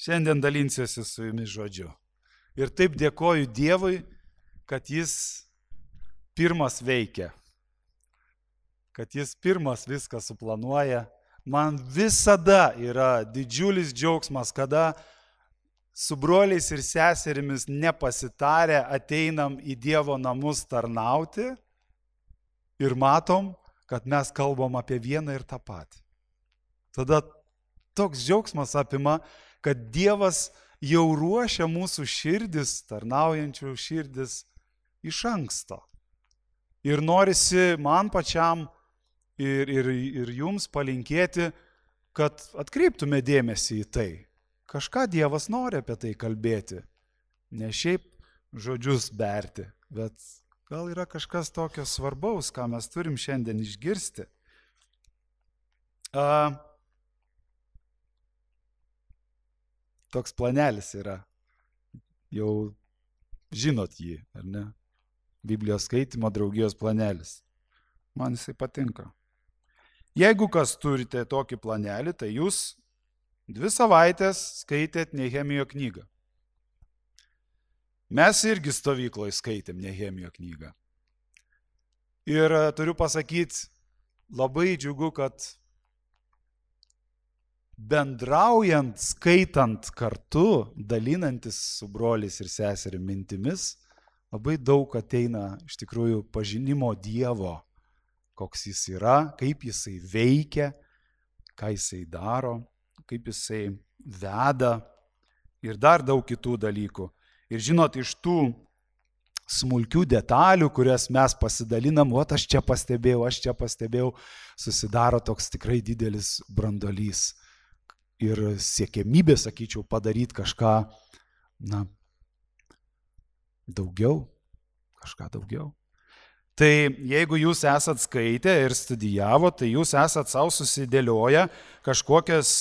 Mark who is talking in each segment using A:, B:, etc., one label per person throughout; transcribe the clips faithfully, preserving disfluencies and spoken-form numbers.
A: Šiandien dalinsiuosi su jumis žodžiu. Ir taip dėkoju Dievui, kad jis pirmas veikia, kad jis pirmas viską suplanuoja. Man visada yra didžiulis džiaugsmas, kada su broliais ir seserimis nepasitarę ateinam į Dievo namus tarnauti ir matom, kad mes kalbam apie vieną ir tą patį. Tada toks džiaugsmas apima, kad Dievas jau ruošia mūsų širdis, tarnaujančių širdis iš anksto. Ir norisi man pačiam ir, ir, ir jums palinkėti, kad atkreiptume dėmesį į tai. Kažką Dievas nori apie tai kalbėti. Ne šiaip žodžius berti, bet gal yra kažkas tokio svarbaus, ką mes turim šiandien išgirsti. A, toks planelis yra. Jau žinot jį, ar ne? Biblijos skaitymo draugijos planelis. Man jisai patinka. Jeigu kas turite tokį planelį, tai jūs dvi savaitės skaitėt Nehemijo knygą. Mes irgi stovykloje skaitėm Nehemijo knygą. Ir turiu pasakyti, labai džiugu, kad bendraujant, skaitant kartu, dalinantis su broliais ir seserim mintimis, labai daug ateina iš tikrųjų pažinimo Dievo, koks jis yra, kaip jisai veikia, ką jisai daro, kaip jisai veda ir dar daug kitų dalykų. Ir žinot, iš tų smulkių detalių, kurias mes pasidalinam, o aš čia pastebėjau, aš čia pastebėjau, susidaro toks tikrai didelis brandolys. Ir siekiamybė, sakyčiau, padaryti kažką, na, daugiau, kažką daugiau. Tai jeigu jūs esat skaitę ir studijavo, tai jūs esat savo susidėlioję kažkokias,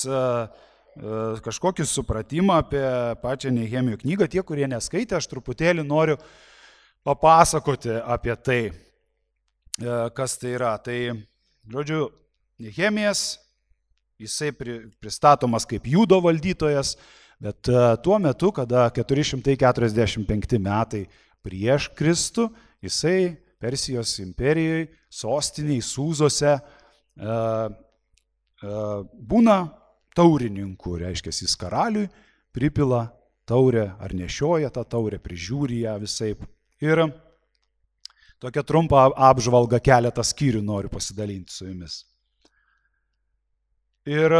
A: kažkokį supratimą apie pačią Nehemijo knygą. Tie, kurie neskaitė, aš truputėlį noriu papasakoti apie tai, kas tai yra. Tai, žodžiu, Nehemijas, jisai pristatomas kaip Judo valdytojas, bet tuo metu, kada keturi šimtai keturiasdešimt penkti metai prieš Kristų, jisai Persijos imperijoje, sostiniai Sūzose būna taurininku, reiškia, jis karaliui pripila taurę ar nešioja tą taurę, prižiūri ją visaip. Ir tokią trumpą apžvalgą keletą skyrių noriu pasidalinti su jumis. Ir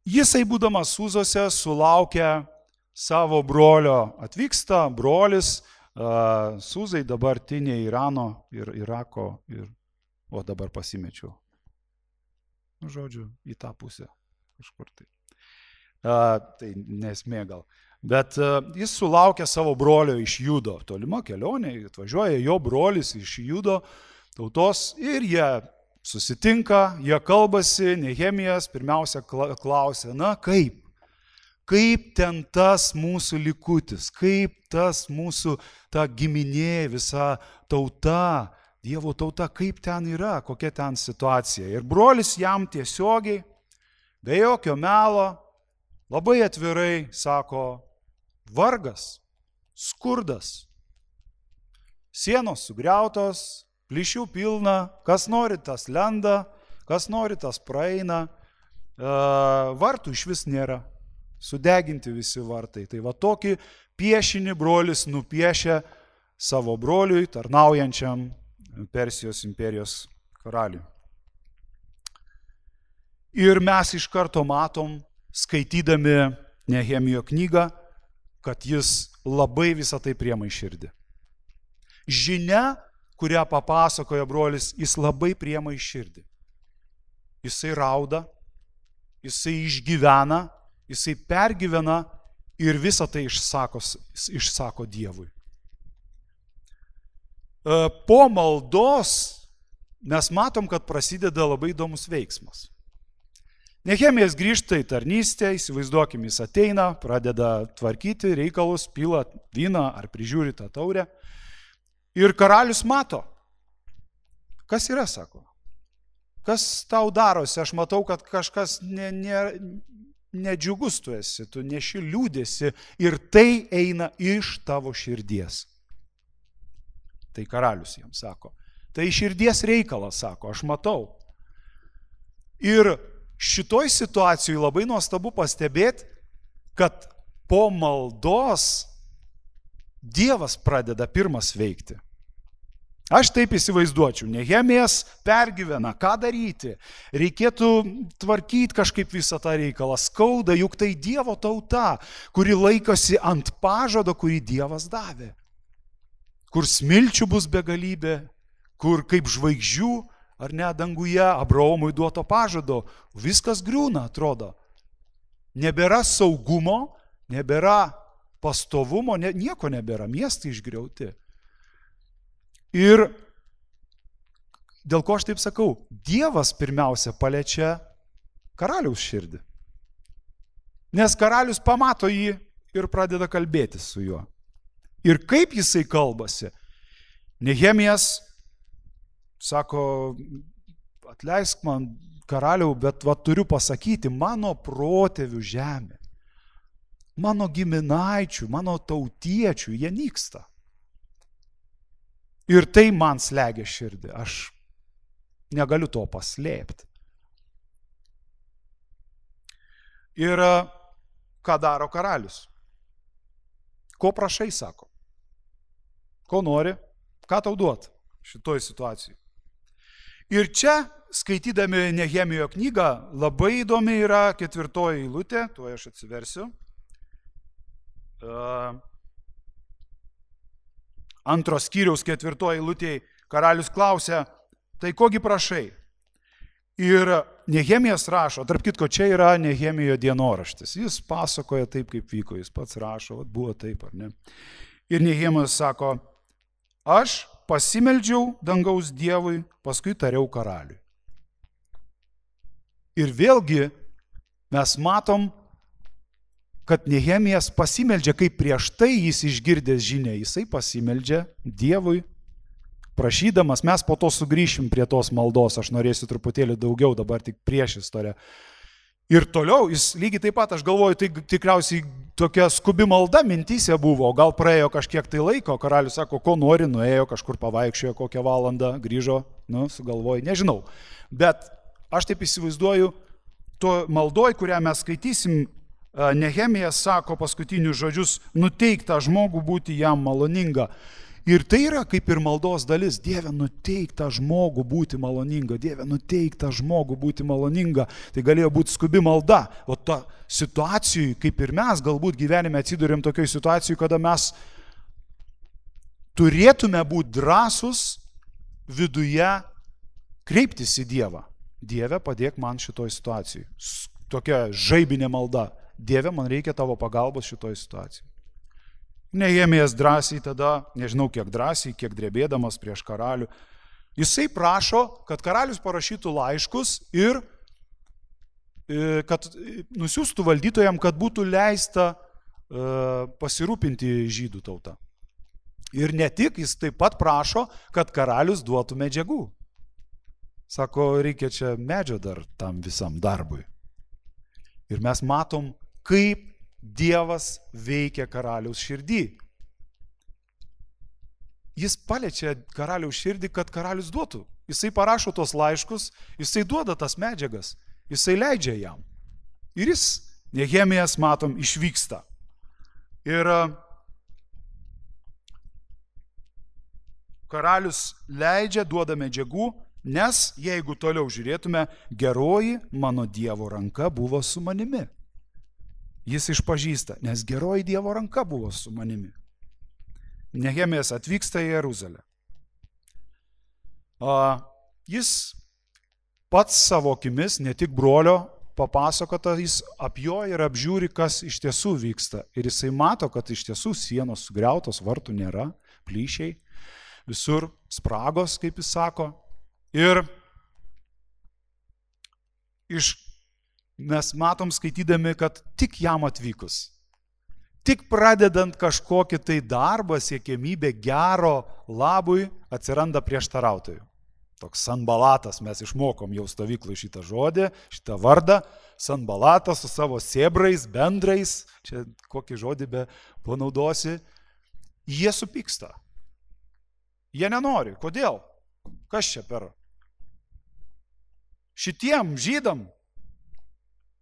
A: jisai, būdamas Sūzose, sulaukia savo brolio, atvyksta brolis, Sūzai dabartinė Irano ir Irako, ir, o dabar pasimečiau, žodžiu, į tą pusę kažkur tai. A, tai nesmė gal. Bet a, jis sulaukia savo brolio iš Judo, tolima kelionė, atvažiuoja jo brolis iš Judo tautos ir jie susitinka, jie kalbasi, Nehemijas pirmiausia klausia, na kaip, kaip ten tas mūsų likutis, kaip tas mūsų ta giminė, visa tauta, Dievo tauta, kaip ten yra, kokia ten situacija. Ir brolis jam tiesiogiai, be jokio melo, labai atvirai sako, vargas, skurdas, sienos sugriautos, plyšių pilna, kas nori tas lenda, kas nori tas praeina, vartų iš vis nėra, sudeginti visi vartai. Tai va tokį piešinį brolis nupiešia savo broliui, tarnaujančiam Persijos imperijos karaliui. Ir mes iš karto matom, skaitydami Nehemijo knygą, kad jis labai visą tai priema į širdį. Žinia, kurią papasakoja brolis, jis labai priema į širdį. Jisai rauda, jisai išgyvena, jisai pergyvena ir visą tai išsako, išsako Dievui. Po maldos mes matom, kad prasideda labai įdomus veiksmas. Nehemijas grįžta į tarnystę, įsivaizduokim, jis ateina, pradeda tvarkyti reikalus, pila vyną ar prižiūri tą taurę. Ir karalius mato, kas yra, sako, kas tau darosi, aš matau, kad kažkas ne, ne, nedžiugus tu esi, tu neši liūdėsi ir tai eina iš tavo širdies. Tai karalius jiems sako. Tai širdies reikalas, sako, aš matau. Ir šitoj situacijai labai nuostabu pastebėti, kad po maldos Dievas pradeda pirmas veikti. Aš taip įsivaizduočiau, Nehemijas pergyvena, ką daryti, reikėtų tvarkyti kažkaip visą tą reikalą, skauda, juk tai Dievo tauta, kuri laikosi ant pažado, kurį Dievas davė, kur smilčių bus begalybė, kur kaip žvaigždžių, ar ne, danguje, Abraomui duoto pažado, viskas griūna, atrodo. Nebėra saugumo, nebėra pastovumo, ne, nieko nebėra, miestai išgriauti. Ir dėl ko aš taip sakau, Dievas pirmiausia paliečia karaliaus širdį. Nes karalius pamato jį ir pradeda kalbėtis su juo. Ir kaip jisai kalbasi? Nehemijas sako, atleisk man, karaliau, bet va, turiu pasakyti, mano protėvių žemė, mano giminaičių, mano tautiečių, jie nyksta. Ir tai man slegia širdį, aš negaliu to paslėpti. Ir ką daro karalius? Ko prašai, sako? Ko nori? Ką tau duot šitoj situacijai? Ir čia, skaitydami Nehemijo knygą, labai įdomi yra ketvirtoji eilutė, tuo aš atsiversiu. Antros skyriaus ketvirtoji eilutėje karalius klausia, tai kogi prašai? Ir Nehemijas rašo, tarp kitko, čia yra Nehemijo dienoraštis. Jis pasakoja taip, kaip vyko, jis pats rašo, vat buvo taip, ar ne? Ir Nehemijas sako, aš pasimeldžiau dangaus Dievui, paskui tariau karaliui. Ir vėlgi mes matom, kad Nehemijas pasimeldžia, kaip prieš tai jis išgirdęs žinią, jisai pasimeldžia Dievui, prašydamas, mes po to sugrįšim prie tos maldos, aš norėsiu truputėlį daugiau, dabar tik prieš istoriją. Ir toliau, jis lygiai taip pat, aš galvoju, tai tikriausiai tokia skubi malda mintyse buvo, gal praėjo kažkiek tai laiko, karalius sako, ko nori, nuėjo kažkur pavaikščiojo kokią valandą, grįžo, nu, sugalvojo, nežinau. Bet aš taip įsivaizduoju, to maldoj, kurią mes skaitysim, Nehemijas sako paskutinius žodžius, nuteik tą žmogų būti jam maloninga. Ir tai yra kaip ir maldos dalis, Dieve, nuteik tą žmogų būti maloninga, Dieve, nuteik tą žmogų būti maloninga. Tai galėjo būti skubi malda, o ta situacijai, kaip ir mes galbūt gyvenime atsidūrėm tokioj situacijai, kada mes turėtume būti drąsus viduje kreiptis į Dievą. Dieve, padėk man šitoj situacijai. Tokia žaibinė malda. Dieve, man reikia tavo pagalbos šitoj situacijai. Nehemijas drąsiai tada, nežinau kiek drąsiai, kiek drebėdamas prieš karalių, jisai prašo, kad karalius parašytų laiškus ir kad nusiųstų valdytojam, kad būtų leista pasirūpinti žydų tautą. Ir ne tik, jis taip pat prašo, kad karalius duotų medžiagų. Sako, reikia čia medžio dar tam visam darbui. Ir mes matom, kaip Dievas veikia karaliaus širdį. Jis paliečia karaliaus širdį, kad karalius duotų. Jisai parašo tos laiškus, jisai duoda tas medžiagas, jisai leidžia jam. Ir jis, Nehemijas, matom, išvyksta. Ir karalius leidžia, duoda medžiagų, nes jeigu toliau žiūrėtume, geroji mano Dievo ranka buvo su manimi. Jis išpažįsta, nes geroji Dievo ranka buvo su manimi. Nehemijas atvyksta į Jeruzalę. Jis pats savo akimis, ne tik brolio, papasakota, jis apjoja ir apžiūri, kas iš tiesų vyksta. Ir jisai mato, kad iš tiesų sienos sugriautos, vartų nėra, plyšiai, visur spragos, kaip jis sako. Ir iš mes matom skaitydami, kad tik jam atvykus, tik pradedant kažkokį tai darbą, siekiamybę gero labui, atsiranda prieštarautojų. Toks Sanbalatas, mes išmokom jau stovyklai šitą žodį, šitą vardą. Sanbalatas su savo sėbrais, bendrais, čia kokį žodį be panaudosi, jie supyksta. Jie nenori. Kodėl? Kas čia per? Šitiem žydam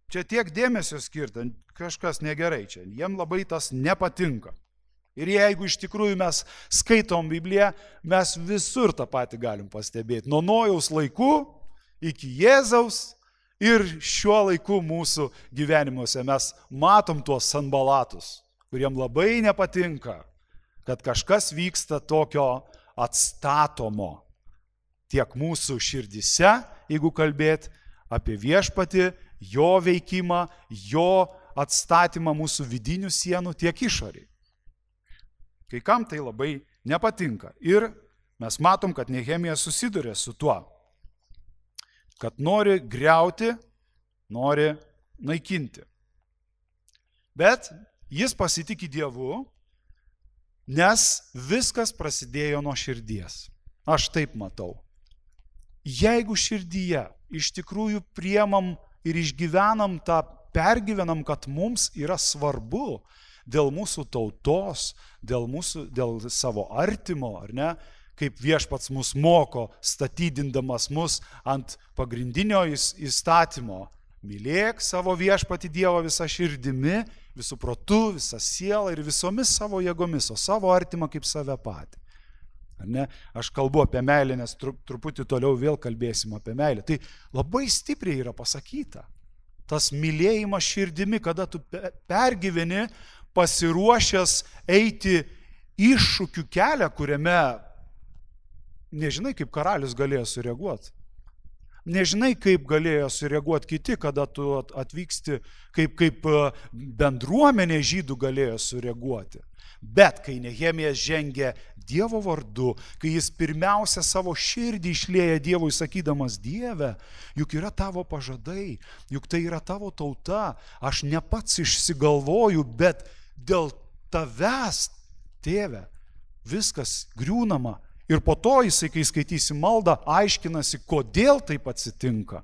A: čia tiek dėmesio skirta, kažkas negerai čia. Jiem labai tas nepatinka. Ir jeigu iš tikrųjų mes skaitom Bibliją, mes visur tą patį galim pastebėti. Nuo Nojaus laikų iki Jėzaus ir šiuo laiku mūsų gyvenimuose mes matom tuos Sanbalatus, kuriem labai nepatinka, kad kažkas vyksta tokio atstatomo tiek mūsų širdise, jeigu kalbėt apie viešpatį, jo veikimą, jo atstatymą mūsų vidinių sienų, tiek išoriai. Kai kam tai labai nepatinka. Ir mes matom, kad Nehemija susiduria su tuo, kad nori griauti, nori naikinti. Bet jis pasitiki Dievu, nes viskas prasidėjo nuo širdies. Aš taip matau. Jeigu širdyje iš tikrųjų priemam ir išgyvenam tą, pergyvenam, kad mums yra svarbu, dėl mūsų tautos, dėl, mūsų, dėl savo artimo, ar ne, kaip viešpats mus moko, statydindamas mus ant pagrindinio įstatymo. Mylėk savo viešpatį Dievą visą širdimi, visų protu, visą sielą ir visomis savo jėgomis, o savo artimą kaip save patį. Ar ne? Aš kalbu apie meilę, nes truputį toliau vėl kalbėsim apie meilę. Tai labai stipriai yra pasakyta. Tas mylėjimas širdimi, kada tu pergyveni, pasiruošęs eiti iššūkių kelią, kuriame nežinai, kaip karalius galėjo sureaguoti. Nežinai, kaip galėjo sureaguoti kiti, kada tu atvyksti, kaip, kaip bendruomenė žydų galėjo sureaguoti. Bet kai Nehemijas žengia Dievo vardu, kai jis pirmiausia savo širdį išlieja Dievui, sakydamas, Dieve, juk yra tavo pažadai, juk tai yra tavo tauta, aš ne pats išsigalvoju, bet dėl tavęs, tėve, viskas griūnama. Ir po to jisai, kai skaitysi maldą, aiškinasi, kodėl taip atsitinka,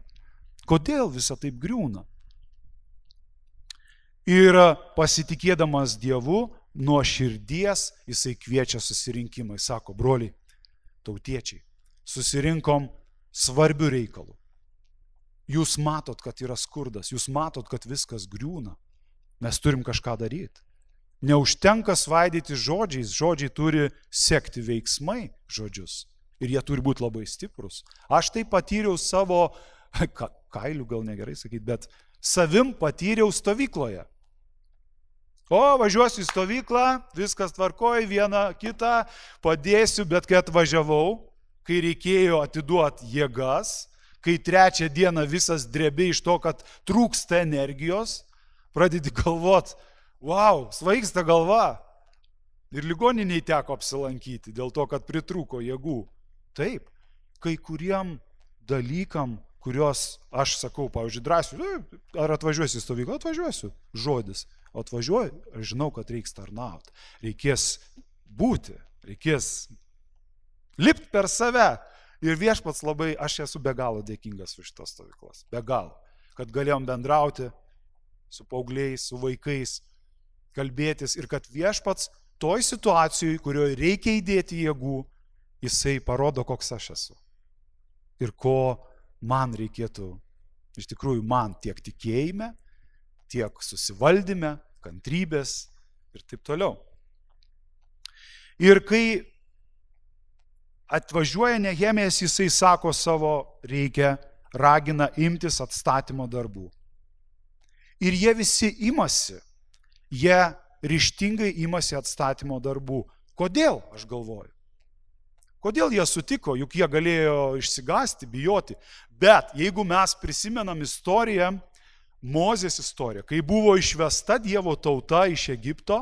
A: kodėl visa taip griūna. Ir pasitikėdamas Dievu, nuo širdies jisai kviečia susirinkimą. Jis sako, broliai, tautiečiai, susirinkom svarbių reikalų. Jūs matot, kad yra skurdas, jūs matot, kad viskas griūna. Mes turim kažką daryti. Neužtenka svaidyti žodžiais, žodžiai turi sekti veiksmai žodžius. Ir jie turi būti labai stiprus. Aš tai patyriau savo, ka, kailių gal negerai sakyti, bet savim patyriau stovykloje. O, važiuosiu į stovyklą, viskas tvarkoja, vieną kitą padėsiu, bet kai atvažiavau, kai reikėjo atiduoti jėgas, kai trečią dieną visas drebi iš to, kad trūksta energijos, pradedi galvot, wow, svaigsta galva. Ir ligoniniai teko apsilankyti dėl to, kad pritrūko jėgų. Taip, kai kuriem dalykam, kuriuos aš sakau, pavyzdžiui, drąsiu, ar atvažiuosiu į stovyklą, atvažiuosiu, žodis. O atvažiuoju, aš žinau, kad reiks tarnauti. Reikės būti, reikės lipti per save. Ir viešpats labai, aš esu be galo dėkingas už šitas stovyklas. Be galo. Kad galėjom bendrauti su paaugliais, su vaikais, kalbėtis. Ir kad viešpats toj situacijai, kurioje reikia įdėti jėgų, jisai parodo, koks aš esu. Ir ko man reikėtų, iš tikrųjų man tiek tikėjime, tiek susivaldyme, kantrybės ir taip toliau. Ir kai atvažiuoja Nehemijas, jisai sako savo, reikia, ragina imtis atstatymo darbų. Ir jie visi imasi, jie ryžtingai imasi atstatymo darbų. Kodėl, aš galvoju? Kodėl jie sutiko, juk jie galėjo išsigąsti, bijoti. Bet jeigu mes prisimenam istoriją, Mozės istorija, kai buvo išvesta Dievo tauta iš Egipto,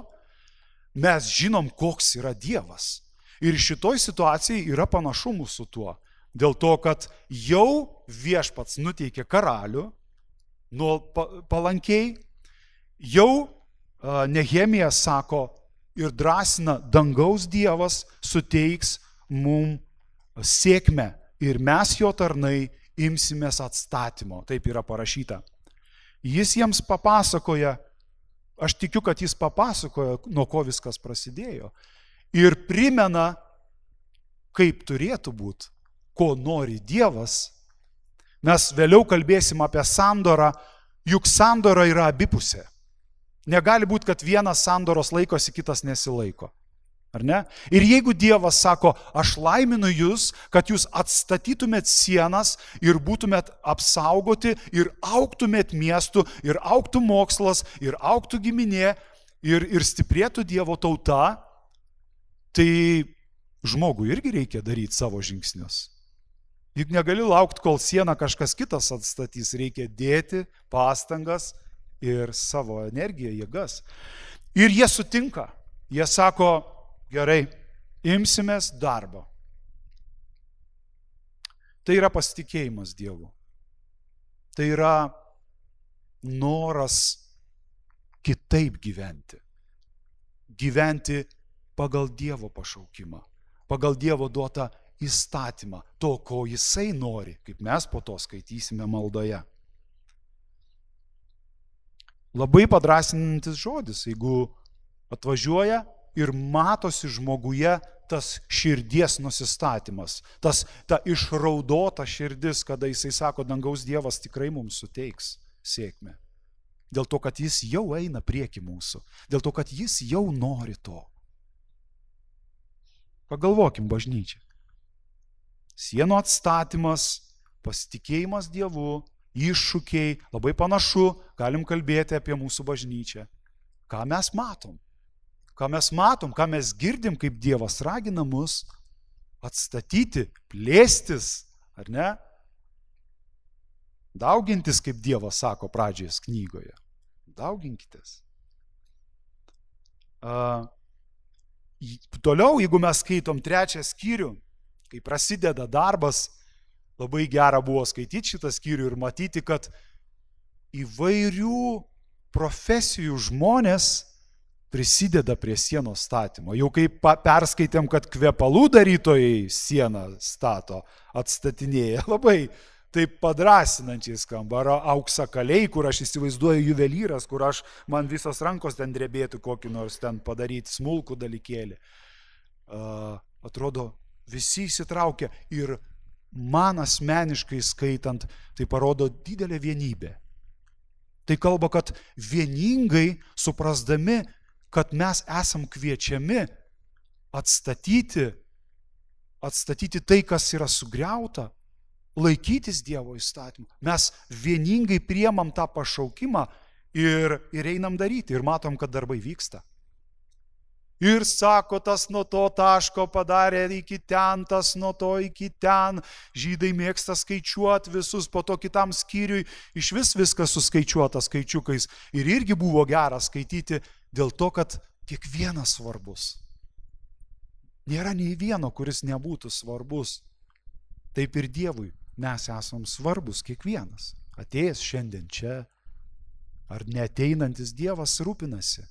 A: mes žinom, koks yra Dievas. Ir šitoj situacijai yra panašumų su tuo. Dėl to, kad jau viešpats nuteikė karalių, nuo palankiai, jau Nehemijas sako ir drąsina, dangaus Dievas suteiks mum sėkmę ir mes jo tarnai imsimės atstatymo. Taip yra parašyta. Jis jiems papasakoja, aš tikiu, kad jis papasakoja, nuo ko viskas prasidėjo. Ir primena, kaip turėtų būti, ko nori Dievas. Mes vėliau kalbėsim apie sandorą, juk sandora yra abipusė. Negali būti, kad vienas sandoros laikosi, kitas nesilaiko. Ar ne? Ir jeigu Dievas sako, aš laiminu jūs, kad jūs atstatytumėt sienas ir būtumėt apsaugoti ir augtumėt miestų, ir augtų mokslas, ir augtų giminė, ir, ir stiprėtų Dievo tauta, tai žmogui irgi reikia daryti savo žingsnius. Juk negali laukti, kol sieną kažkas kitas atstatys, reikia dėti pastangas ir savo energiją, jėgas. Ir jie sutinka, jie sako, gerai, imsimės darbo. Tai yra pasitikėjimas Dievu. Tai yra noras kitaip gyventi. Gyventi pagal Dievo pašaukimą, pagal Dievo duotą įstatymą, to, ko Jisai nori, kaip mes po to skaitysime maldoje. Labai padrasinantis žodis, jeigu atvažiuoja ir matosi žmoguje tas širdies nusistatymas, tas, ta išraudota širdis, kada jisai sako, dangaus Dievas tikrai mums suteiks sėkmę. Dėl to, kad jis jau eina prieki mūsų, dėl to, kad jis jau nori to. Pagalvokim, bažnyčia. Sienų atstatymas, pasitikėjimas Dievu, iššūkiai, labai panašu, galim kalbėti apie mūsų bažnyčią. Ką mes matom? Ką mes matom, ką mes girdim, kaip Dievas ragina mus atstatyti, plėstis, ar ne? Daugintis, kaip Dievas sako pradžioje knygoje. Dauginkitės. Uh, toliau, jeigu mes skaitom trečią skyrių, kai prasideda darbas, labai gera buvo skaityti šitą skyrių ir matyti, kad įvairių profesijų žmonės prisideda prie sienos statymo. Jau kaip perskaitėm, kad kvepalų darytojai sieną stato, atstatinėja, labai taip padrasinančiai skamba. Ar auksakaliai, kur aš įsivaizduoju juvelyras, kur aš, man visos rankos ten drebėtų kokį nors ten padaryti smulkų dalykėlį. Uh, atrodo, visi įsitraukia ir man asmeniškai skaitant, tai parodo didelę vienybę. Tai kalba, kad vieningai suprasdami, kad mes esam kviečiami atstatyti, atstatyti tai, kas yra sugriauta, laikytis Dievo įstatymų. Mes vieningai priemam tą pašaukimą ir, ir einam daryti ir matom, kad darbai vyksta. Ir sako, tas nuo to taško padarė iki ten, tas nuo to iki ten. Žydai mėgsta skaičiuoti visus, po to kitam skyriui iš vis viskas suskaičiuota skaičiukais. Ir irgi buvo gera skaityti dėl to, kad kiekvienas svarbus. Nėra nei vieno, kuris nebūtų svarbus. Taip ir Dievui mes esam svarbus kiekvienas. Atėjęs šiandien čia, ar neateinantis Dievas rūpinasi.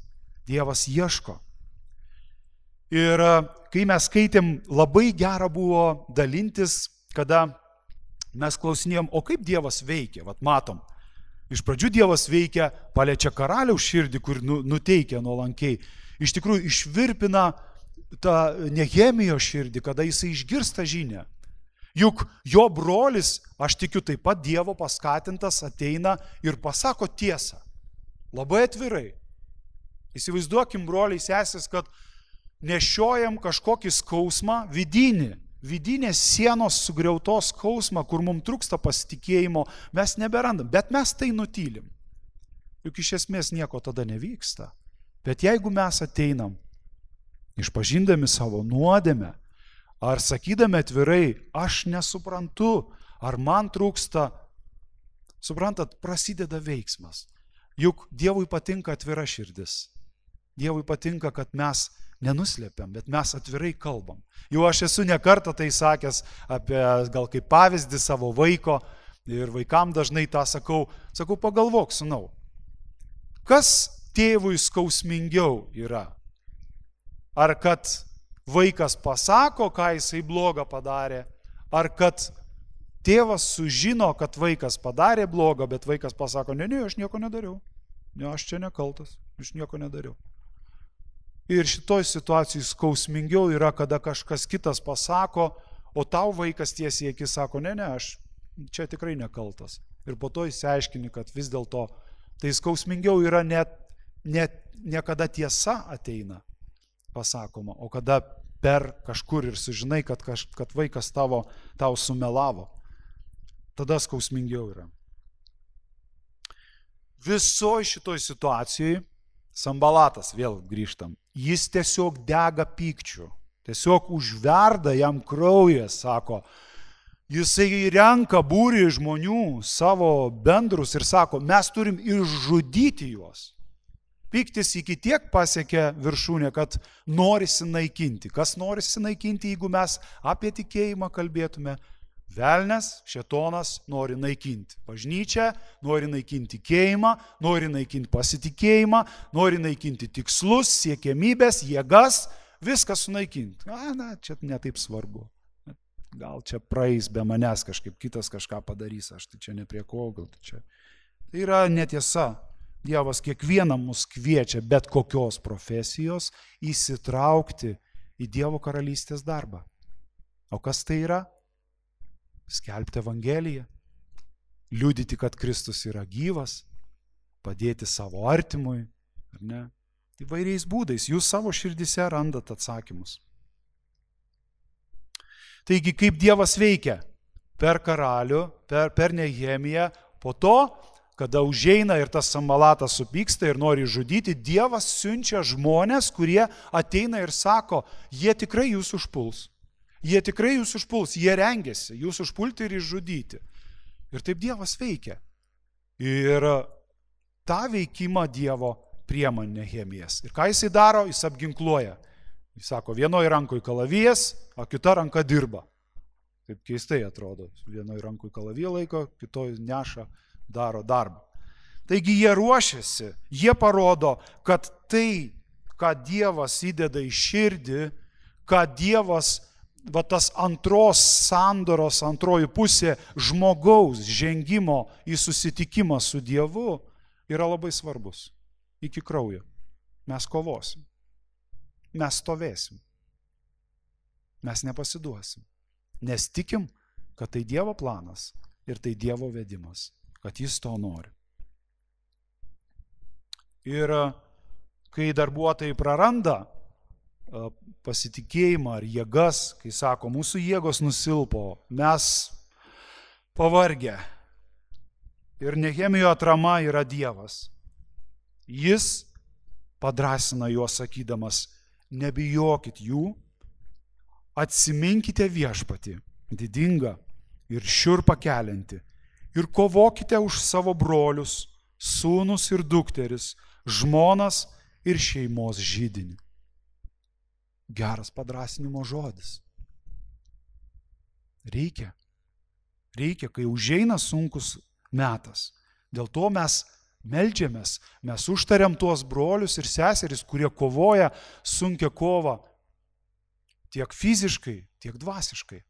A: Dievas ieško. Ir kai mes skaitėm, labai gera buvo dalintis, kada mes klausinėjom, o kaip Dievas veikia, vat matom. Iš pradžių Dievas veikia, paliečia karaliaus širdį, kur nuteikia nuolankiai. Iš tikrųjų išvirpina tą Nehemijo širdį, kada jisai išgirsta žinią. Juk jo brolis, aš tikiu taip pat Dievo paskatintas, ateina ir pasako tiesą. Labai atvirai. Įsivaizduokim, broliai, sesės, kad nešiojam kažkokį skausmą, vidinį, vidinės sienos sugriautos skausmą, kur mums trūksta pasitikėjimo, mes neberandam, bet mes tai nutylim. Juk iš esmės nieko tada nevyksta. Bet jeigu mes ateinam, išpažindami savo nuodėmę, ar sakydami atvirai, aš nesuprantu, ar man trūksta, suprantat, prasideda veiksmas. Juk Dievui patinka atvira širdis. Dievui patinka, kad mes nenuslėpiam, bet mes atvirai kalbam. Jau aš esu ne kartą tai sakęs apie, gal kaip pavyzdį savo vaiko, ir vaikam dažnai tą sakau, sakau, pagalvok, sūnau, kas tėvui skausmingiau yra? Ar kad vaikas pasako, ką jisai blogą padarė, ar kad tėvas sužino, kad vaikas padarė blogą, bet vaikas pasako, ne, ne, aš nieko nedariau. Ne, aš čia nekaltas, aš nieko nedariau. Ir šitoj situacijai skausmingiau yra, kada kažkas kitas pasako, o tau vaikas tiesiai akis sako, ne, ne, aš čia tikrai nekaltas. Ir po to įsiaiškini, kad vis dėlto tai skausmingiau yra net, net ne kada tiesa ateina, pasakoma, o kada per kažkur ir sužinai, kad, kaž, kad vaikas tavo, tau sumelavo. Tada skausmingiau yra. Visoje šitoj situacijai Sambalatas, vėl grįžtam, jis tiesiog dega pykčiu, tiesiog užverda jam kraujas, sako, jisai renka būrį žmonių, savo bendrus ir sako, mes turim išžudyti juos. Pyktis iki tiek pasiekė viršūnę, kad norisi naikinti. Kas norisi naikinti, jeigu mes apie tikėjimą kalbėtume? Velnes, šėtonas nori naikinti bažnyčią, nori naikinti tikėjimą, nori naikinti pasitikėjimą, nori naikinti tikslus, siekiamybės, jėgas, viską sunaikinti. Na, na, čia netaip svarbu. Gal čia praeis be manęs kažkaip, kitas kažką padarys, aš tai čia ne prie ko, gal tai čia. Tai yra netiesa. Dievas kiekvieną mus kviečia bet kokios profesijos įsitraukti į Dievo karalystės darbą. O kas tai yra? Skelbti Evangeliją, liudyti, kad Kristus yra gyvas, padėti savo artimui, ar ne? Įvairiais būdais, jūs savo širdise randat atsakymus. Taigi, kaip Dievas veikia? Per karalių, per, per Nehemiją, po to, kada užeina ir tas Sambalatas supyksta ir nori žudyti, Dievas siunčia žmonės, kurie ateina ir sako, jie tikrai jūs užpuls. Jie tikrai jūs užpuls, jie rengiasi, jūs užpulti ir išžudyti. Ir taip Dievas veikia. Ir tą veikimą Dievo priema Nehemijas. Ir ką jisai daro, jis apginkluoja. Jis sako, vienoje rankoje kalavijas, o kita ranka dirba. Taip keistai atrodo. Vienoje rankoje kalaviją laiko, kitoje neša, daro darbą. Taigi jie ruošiasi, jie parodo, kad tai, ką Dievas įdeda į širdį, ką Dievas va tas antros sandoros, antroji pusė žmogaus žengimo į susitikimą su Dievu yra labai svarbus. Iki kraujo. Mes kovosim. Mes stovėsim. Mes nepasiduosim. Nes tikim, kad tai Dievo planas ir tai Dievo vedimas, kad jis to nori. Ir kai darbuotojai praranda pasitikėjimą ar jėgas, kai sako, mūsų jėgos nusilpo, mes pavargę. Ir Nehemijo atrama yra Dievas. Jis padrąsina juos sakydamas, nebijokit jų, atsiminkite viešpatį, didingą ir šiurpą keliantį, ir kovokite už savo brolius, sūnus ir dukteris, žmonas ir šeimos židinį. Geras padrąsinimo žodis. Reikia. Reikia, kai užeina sunkus metas. Dėl to mes meldžiamės, mes užtariam tuos brolius ir seseris, kurie kovoja sunkią kovą tiek fiziškai, tiek dvasiškai.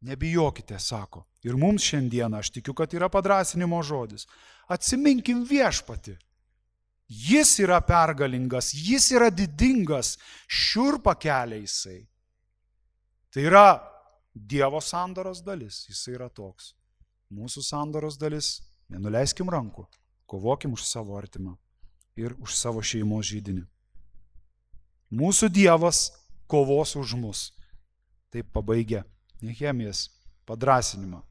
A: Nebijokite, sako. Ir mums šiandieną, aš tikiu, kad yra padrąsinimo žodis. Atsiminkim viešpatį. Jis yra pergalingas, jis yra didingas, šiurpą kelia jisai. Tai yra Dievo sandoros dalis, jisai yra toks. Mūsų sandoros dalis, nenuleiskim rankų, kovokim už savo artimą ir už savo šeimos židinį. Mūsų Dievas kovos už mus. Taip pabaigia Nehemijas padrąsinimą.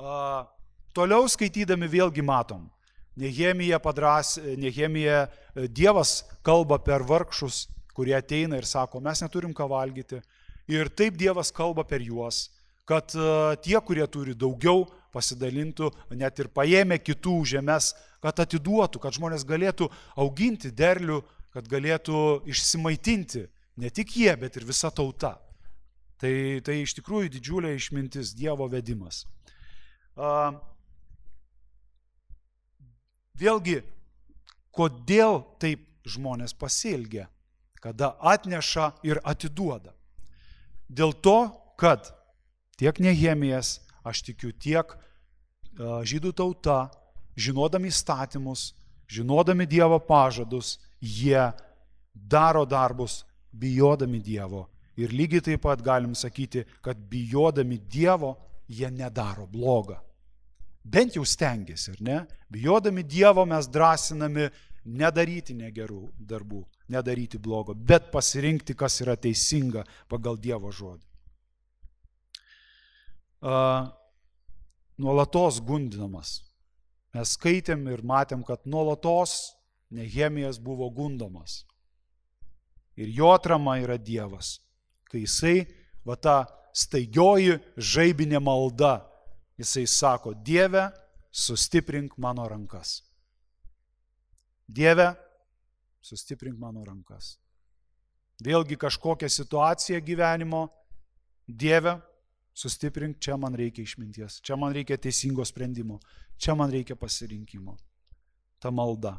A: A, toliau skaitydami vėlgi matom, Nehemija padrąs, Nehemija Dievas kalba per vargšus, kurie ateina ir sako, mes neturim ką valgyti. Ir taip Dievas kalba per juos, kad tie, kurie turi daugiau, pasidalintų, net ir paėmė kitų žemės, kad atiduotų, kad žmonės galėtų auginti derlių, kad galėtų išsimaitinti ne tik jie, bet ir visa tauta. Tai, tai iš tikrųjų didžiulė išmintis, Dievo vedimas. Uh, vėlgi, kodėl taip žmonės pasielgia, kada atneša ir atiduoda? Dėl to, kad tiek Nehemijas, aš tikiu, tiek žydų tauta, žinodami įstatymus, žinodami Dievo pažadus, jie daro darbus bijodami Dievo. Ir lygiai taip pat galim sakyti, kad bijodami Dievo jie nedaro blogą. Bent jau stengiasi, ar ne? Bijodami Dievo mes drąsinami nedaryti negerų darbų, nedaryti blogo, bet pasirinkti, kas yra teisinga pagal Dievo žodį. Uh, nuolatos gundinamas. Mes skaitėm ir matėm, kad nuolatos Nehemijas buvo gundomas. Ir jo atrama yra Dievas. Kai jisai, va ta staigioji žaibinė malda, jisai sako, Dieve, sustiprink mano rankas. Dieve, sustiprink mano rankas. Vėlgi kažkokia situacija gyvenimo, Dieve, sustiprink, čia man reikia išminties, čia man reikia teisingo sprendimo, čia man reikia pasirinkimo. Ta malda.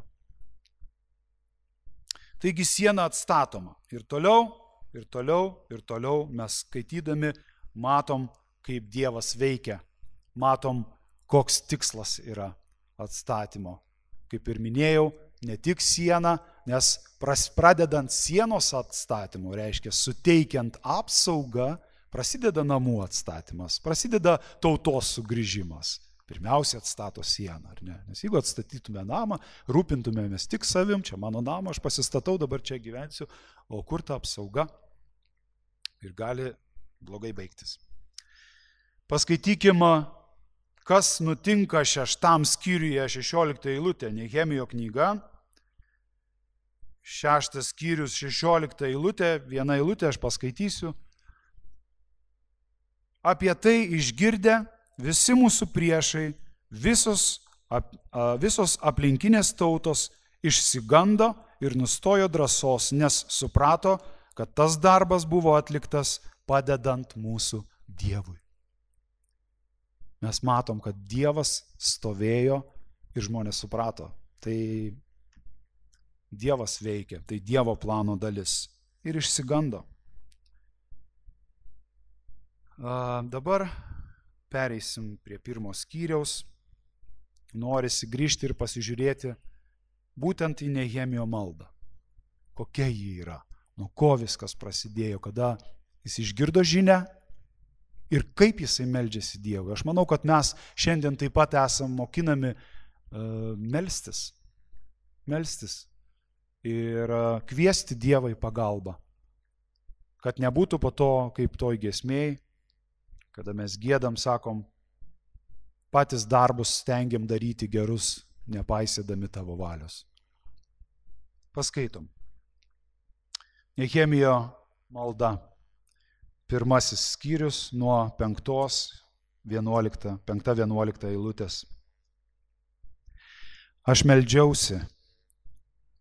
A: Taigi siena atstatoma. Ir toliau, ir toliau, ir toliau mes skaitydami matom, kaip Dievas veikia. Matom, koks tikslas yra atstatymo. Kaip ir minėjau, ne tik siena, nes pradedant sienos atstatymu, reiškia suteikiant apsaugą, prasideda namų atstatymas, prasideda tautos sugrįžimas. Pirmiausia atstato sieną, ar ne? Nes jeigu atstatytume namą, rūpintumėmės tik savim, čia mano namą, aš pasistatau, dabar čia gyvensiu, o kur ta apsauga? Ir gali blogai baigtis. Paskaitykim, kas nutinka šeštam skyriuje, šešiolikta eilutė, Nehemijo knyga. Šeštas skyrius, šešiolikta eilutė, viena eilutė aš paskaitysiu. Apie tai išgirdę visi mūsų priešai, visos, ap, visos aplinkinės tautos išsigando ir nustojo drąsos, nes suprato, kad tas darbas buvo atliktas padedant mūsų Dievui. Mes matom, kad Dievas stovėjo ir žmonės suprato. Tai Dievas veikia, tai Dievo plano dalis. Ir išsigando. A, dabar pereisim prie pirmo skyriaus. Norisi grįžti ir pasižiūrėti būtent į Nehemijo maldą. Kokia ji yra, nuo ko viskas prasidėjo, kada jis išgirdo žinią ir kaip jisai meldžiasi Dievui. Aš manau, kad mes šiandien taip pat esam mokinami uh, melstis, melstis ir uh, kviesti Dievą į pagalbą. Kad nebūtų po to, kaip toj giesmėj, kada mes giedam, sakom, patys darbus stengiam daryti gerus, nepaisydami tavo valios. Paskaitom. Nehemijo malda. Pirmasis skyrius nuo penktos, vienuolikta, penkta vienuolikta eilutės. Aš meldžiausi,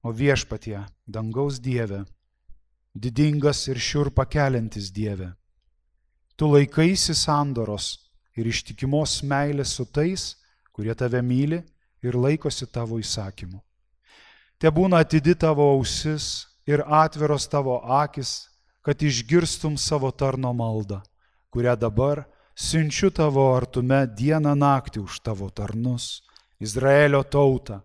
A: o viešpatie, dangaus Dieve, didingas ir šiurpą keliantis Dieve, tu laikaisi sandoros ir ištikimos meilės su tais, kurie tave myli ir laikosi tavo įsakymų. Te būna atidi tavo ausis ir atviros tavo akis, kad išgirstum savo tarno maldą, kurią dabar siunčiu tavo artume dieną naktį už tavo tarnus, Izraelio tautą,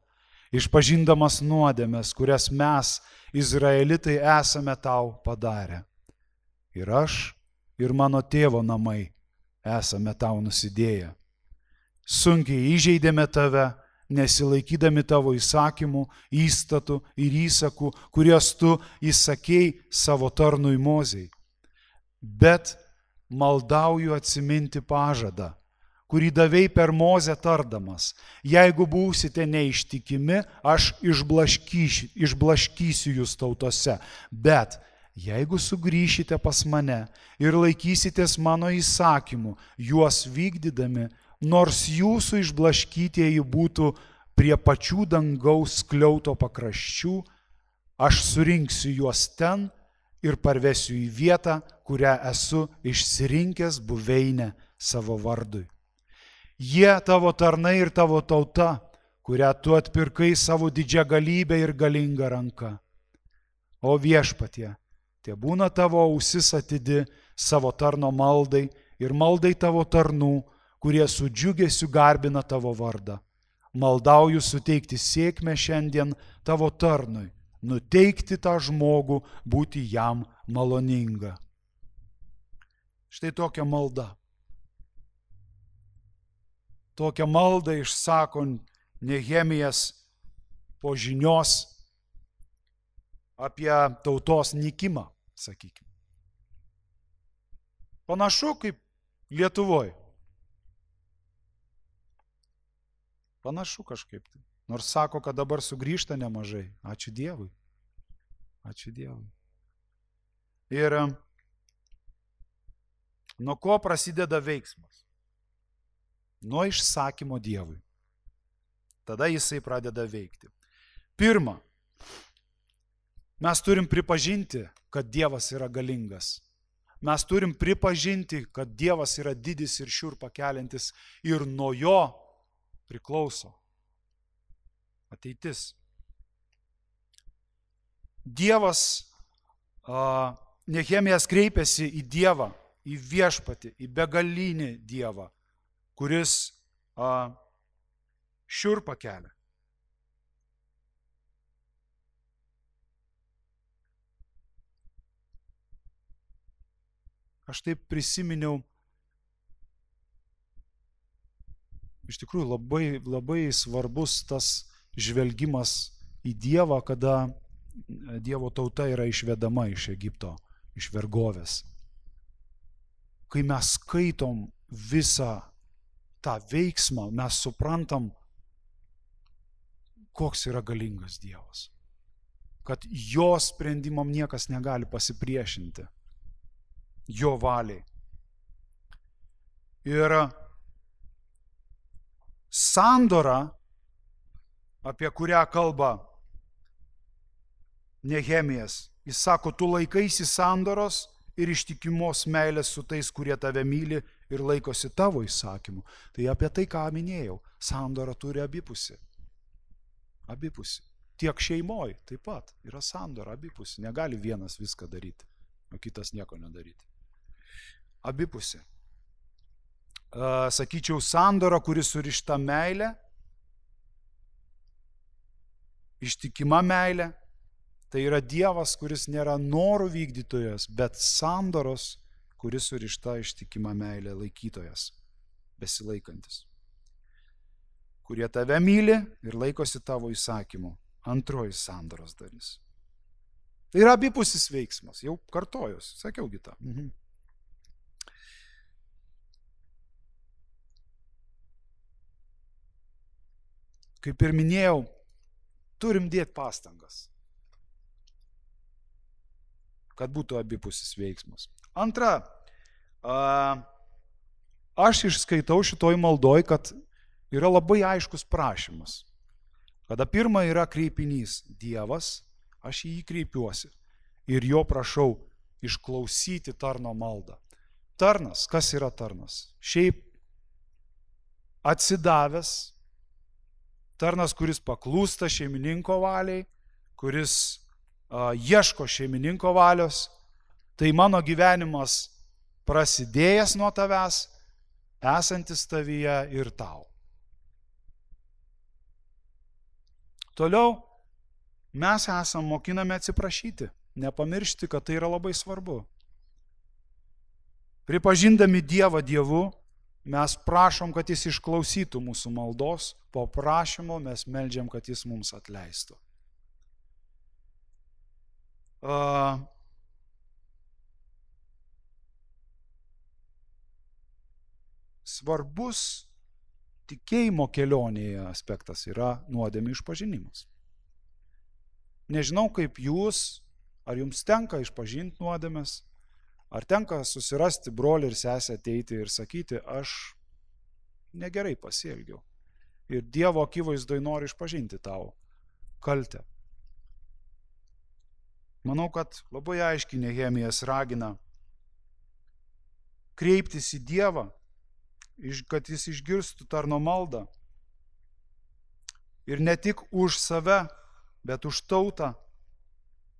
A: išpažindamas nuodėmes, kurias mes, Izraelitai, esame tau padarę. Ir aš, ir mano tėvo namai esame tau nusidėję. Sunkiai įžeidėme tave, nesilaikydami tavo įsakymų, įstatų ir įsakų, kuriuos tu įsakei savo tarnui Mozei. Bet maldauju atsiminti pažadą, kurį davei per Mozę tardamas. Jeigu būsite neištikimi, aš išblaškysiu, išblaškysiu jūs tautose. Bet jeigu sugrįšite pas mane ir laikysitės mano įsakymų, juos vykdydami, nors jūsų išblaškytieji būtų prie pačių dangaus skliauto pakraščių, aš surinksiu juos ten ir parvesiu į vietą, kurią esu išsirinkęs buveinę savo vardui. Jie tavo tarnai ir tavo tauta, kurią tu atpirkai savo didžią galybę ir galingą ranką. O viešpatie, te būna tavo ausis atidi savo tarno maldai ir maldai tavo tarnų, kurie su džiugesiu garbina tavo vardą. Maldauju suteikti sėkmę šiandien tavo tarnui, nuteikti tą žmogų, būti jam maloninga. Štai tokia malda. Tokią maldą išsako Nehemijas po žinios apie tautos nykimą, sakykime. Panašu kaip Lietuvoje. Panašu kažkaip. Nors sako, kad dabar sugrįžta nemažai. Ačiū Dievui. Ačiū Dievui. Ir nuo ko prasideda veiksmas? Nuo išsakymo Dievui. Tada jisai pradeda veikti. Pirma, mes turim pripažinti, kad Dievas yra galingas. Mes turim pripažinti, kad Dievas yra didis ir šiurpą keliantis ir nuo jo priklauso ateitis. Dievas, uh, Nehemijas kreipėsi į Dievą, į viešpatį, į begalinį Dievą, kuris uh, šiurpą kelia. Aš taip prisiminiau, iš tikrųjų labai, labai svarbus tas žvelgimas į Dievą, kada Dievo tauta yra išvedama iš Egipto, iš vergovės. Kai mes skaitom visą tą veiksmą, mes suprantam, koks yra galingas Dievas. Kad jo sprendimam niekas negali pasipriešinti. Jo valiai. Ir sandora, apie kurią kalba Nehemijas, jis sako, tu laikaisi sandoros ir ištikimos meilės su tais, kurie tave myli ir laikosi tavo įsakymų. Tai apie tai, ką minėjau, sandora turi abipusį. Abipusį. Tiek šeimoj taip pat yra sandora abipusį. Negali vienas viską daryti, o kitas nieko nedaryti. Abipusį. Sakyčiau, sandora, kuris surišta meilė, ištikima meilė, tai yra Dievas, kuris nėra norų vykdytojas, bet sandoros, kuris surišta ištikima meilė laikytojas, besilaikantis, kurie tave myli ir laikosi tavo įsakymų. Antroji sandoros dalis. Tai yra abipusis veiksmas, jau kartojus, sakiau gitą. Mhm. Kaip ir minėjau, turim dėti pastangas, kad būtų abipusis veiksmas. Antra, aš išskaitau šitoj maldoj, kad yra labai aiškus prašymas. Kada pirma yra kreipinys Dievas, aš į jį kreipiuosi ir jo prašau išklausyti tarno maldą. Tarnas, kas yra tarnas? Šiaip atsidavęs, tarnas, kuris paklūsta šeimininko valiai, kuris uh, ieško šeimininko valios, tai mano gyvenimas prasidėjęs nuo tavęs, esantis tavyje ir tau. Toliau mes esam mokinami atsiprašyti, nepamiršti, kad tai yra labai svarbu. Pripažindami Dievą Dievu, mes prašom, kad jis išklausytų mūsų maldos, po prašymo mes meldžiam, kad jis mums atleistų. Uh, svarbus tikėjimo kelionėje aspektas yra nuodėmių išpažinimas. Nežinau, kaip jūs, ar jums tenka išpažinti nuodėmes, ar tenka susirasti brolį ir sesę ateiti ir sakyti, aš negerai pasielgiau. Ir Dievo akivaizdoj noriu išpažinti tau kaltę. Manau, kad labai aiškiai Nehemijas ragina kreiptis į Dievą, kad jis išgirstų tarno maldą. Ir ne tik už save, bet už tautą,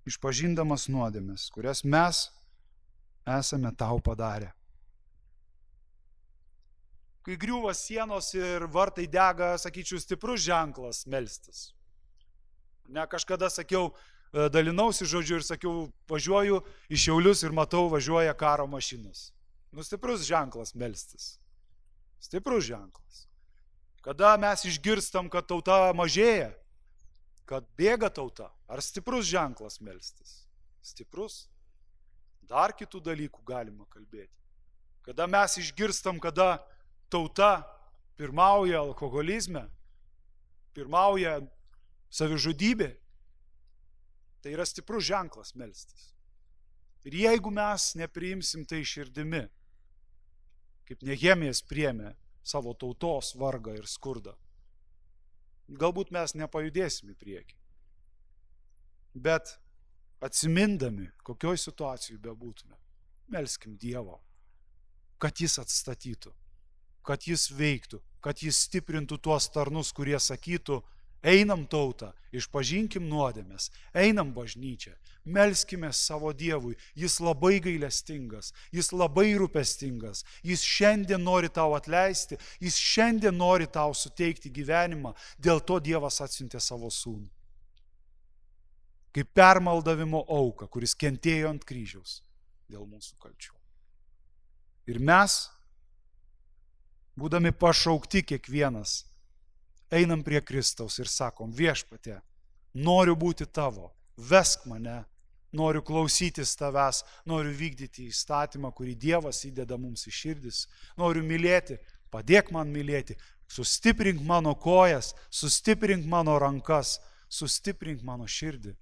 A: išpažindamas nuodėmes, kurias mes esame tau padarę. Kai griūva sienos ir vartai dega, sakyčiau, stiprus ženklas melstis. Ne, kažkada sakiau, dalinausi žodžiu ir sakiau, važiuoju į Šiaulius ir matau, važiuoja karo mašinos. Nu, stiprus ženklas melstis. Stiprus ženklas. Kada mes išgirstam, kad tauta mažėja, kad bėga tauta, ar stiprus ženklas melstis? Stiprus. Dar kitų dalykų galima kalbėti. Kada mes išgirstam, kada tauta pirmauja alkoholizme, pirmauja savižudybė, tai yra stiprus ženklas melstis. Ir jeigu mes nepriimsim tai širdimi, kaip Nehemijas priėmė savo tautos vargą ir skurdą, galbūt mes nepajudėsim į priekį. Bet atsimindami, kokioj situacijai bebūtume, melskim Dievo, kad jis atstatytų, kad jis veiktų, kad jis stiprintų tuos tarnus, kurie sakytų, einam tautą, išpažinkim nuodėmes, einam bažnyčią, melskime savo Dievui, jis labai gailestingas, jis labai rūpestingas, jis šiandien nori tau atleisti, jis šiandien nori tau suteikti gyvenimą, dėl to Dievas atsiuntė savo sūnų. Kaip permaldavimo auką, kuris kentėjo ant kryžiaus dėl mūsų kalčių. Ir mes, būdami pašaukti kiekvienas, einam prie Kristaus ir sakom, viešpatie, noriu būti tavo, vesk mane, noriu klausytis tavęs, noriu vykdyti įstatymą, kurį Dievas įdeda mums į širdis, noriu mylėti, padėk man mylėti, sustiprink mano kojas, sustiprink mano rankas, sustiprink mano širdį,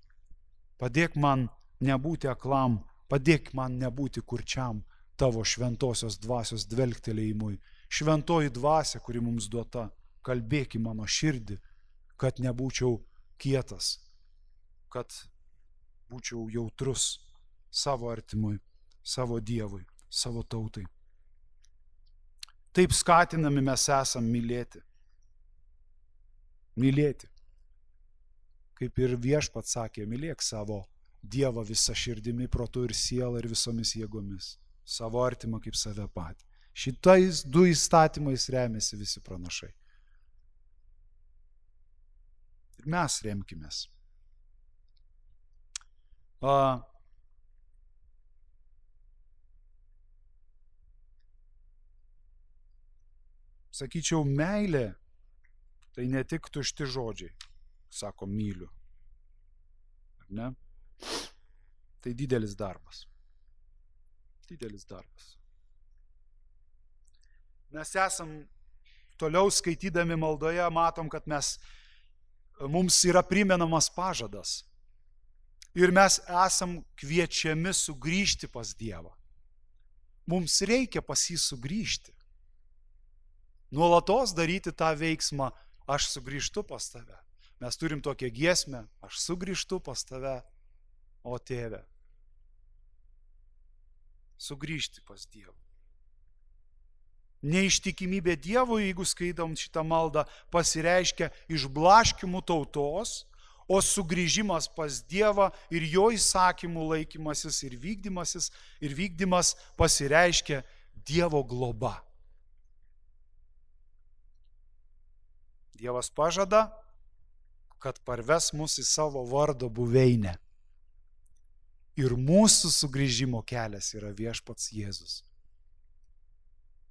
A: padėk man nebūti aklam, padėk man nebūti kurčiam tavo šventosios dvasios dvelgtelėjimui, šventoji dvasia, kuri mums duota, kalbėk į mano širdį, kad nebūčiau kietas, kad būčiau jautrus savo artimui, savo Dievui, savo tautai. Taip skatinami mes esam mylėti. Mylėti. Kaip ir Viešpats sakė, mylėk savo Dievą visą širdimi, protu ir sielą ir visomis jėgomis, savo artimą kaip save patį. Šitais du įstatymais remiasi visi pranašai. Ir mes remkimės. A, sakyčiau, meilė tai ne tik tušti žodžiai, sako myliu. Ar ne? Tai didelis darbas. Didelis darbas. Mes esam toliau skaitydami maldoje, matom, kad mes, mums yra primenamas pažadas. Ir mes esam kviečiami sugrįžti pas Dievą. Mums reikia pas jį sugrįžti. Nuolatos daryti tą veiksmą, aš sugrįžtu pas tave. Mes turim tokią giesmę, aš sugrįžtu pas tave, o tėve. Sugrįžti pas Dievą. Neištikimybė Dievui, jeigu skaitom šitą maldą, pasireiškia išblaškimų tautos, o sugrįžimas pas Dievą ir jo įsakymų laikymasis ir vykdymasis ir vykdymas pasireiškia Dievo globa. Dievas pažada, kad parves mus į savo vardo buveinę. Ir mūsų sugrįžimo kelias yra Viešpats Jėzus.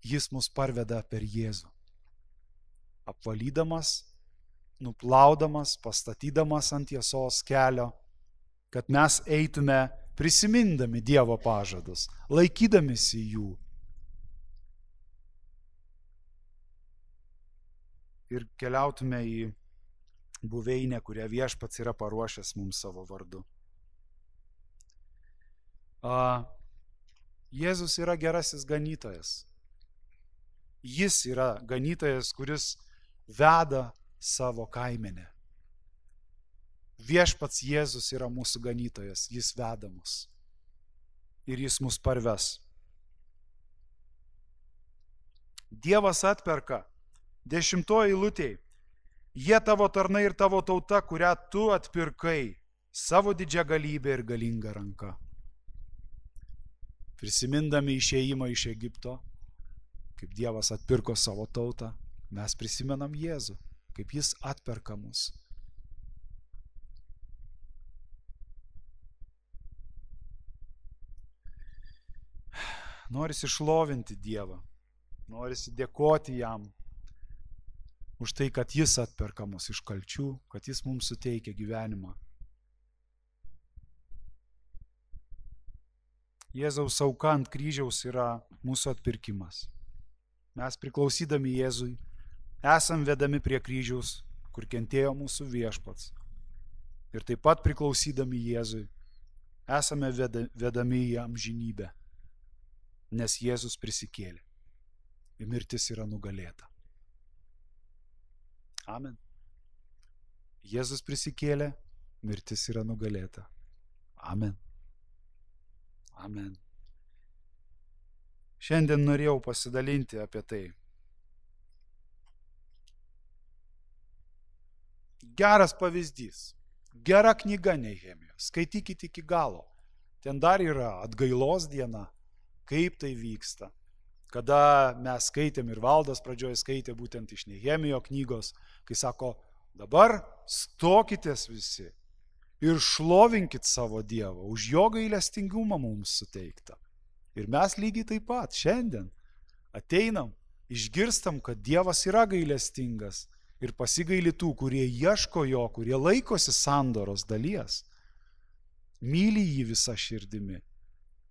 A: Jis mus parveda per Jėzų, apvalydamas, nuplaudamas, pastatydamas ant tiesos kelio, kad mes eitume prisimindami Dievo pažadus, laikydamisi jų. Ir keliautume į buveinę, kurią Viešpats yra paruošęs mums savo vardu. A, Jėzus yra gerasis ganytojas. Jis yra ganytojas, kuris veda savo kaimenę. Viešpats Jėzus yra mūsų ganytojas, jis veda mus. Ir jis mus parves. Dievas atperka. Dešimtoji eilutėj. Jie tavo tarnai ir tavo tauta, kurią tu atpirkai, savo didžią galybę ir galingą ranką. prisimindami išėjimą iš Egipto, kaip Dievas atpirko savo tautą, mes prisimenam Jėzų, kaip jis atperka mus. Norisi šlovinti Dievą, norisi dėkoti jam už tai, kad jis atperka mus iš kalčių, kad jis mums suteikia gyvenimą. Jėzaus auka ant kryžiaus yra mūsų atpirkimas. Mes priklausydami Jėzui esam vedami prie kryžiaus, kur kentėjo mūsų viešpats. Ir taip pat priklausydami Jėzui esame vedami į amžinybę, nes Jėzus prisikėlė ir mirtis yra nugalėta. Amen. Jėzus prisikėlė, mirtis yra nugalėta. Amen. Amen. Šiandien norėjau pasidalinti apie tai. Geras pavyzdys. Gera knyga Nehemijos. Skaitykite iki galo. Ten dar yra atgailos diena, kaip tai vyksta. Kada mes skaitėm ir Valdas pradžioje skaitė būtent iš Nehemijo knygos, kai sako, dabar stokitės visi ir šlovinkit savo Dievą už jo gailestingumą mums suteiktą. Ir mes lygiai taip pat šiandien ateinam, išgirstam, kad Dievas yra gailestingas ir pasigaili tų, kurie ieško jo, kurie laikosi sandoros dalies, myli jį visą širdimi,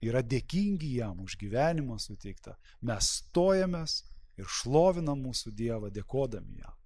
A: yra dėkingi jam už gyvenimą suteiktą. Mes stojamės ir šlovinam mūsų Dievą, dėkodami jam.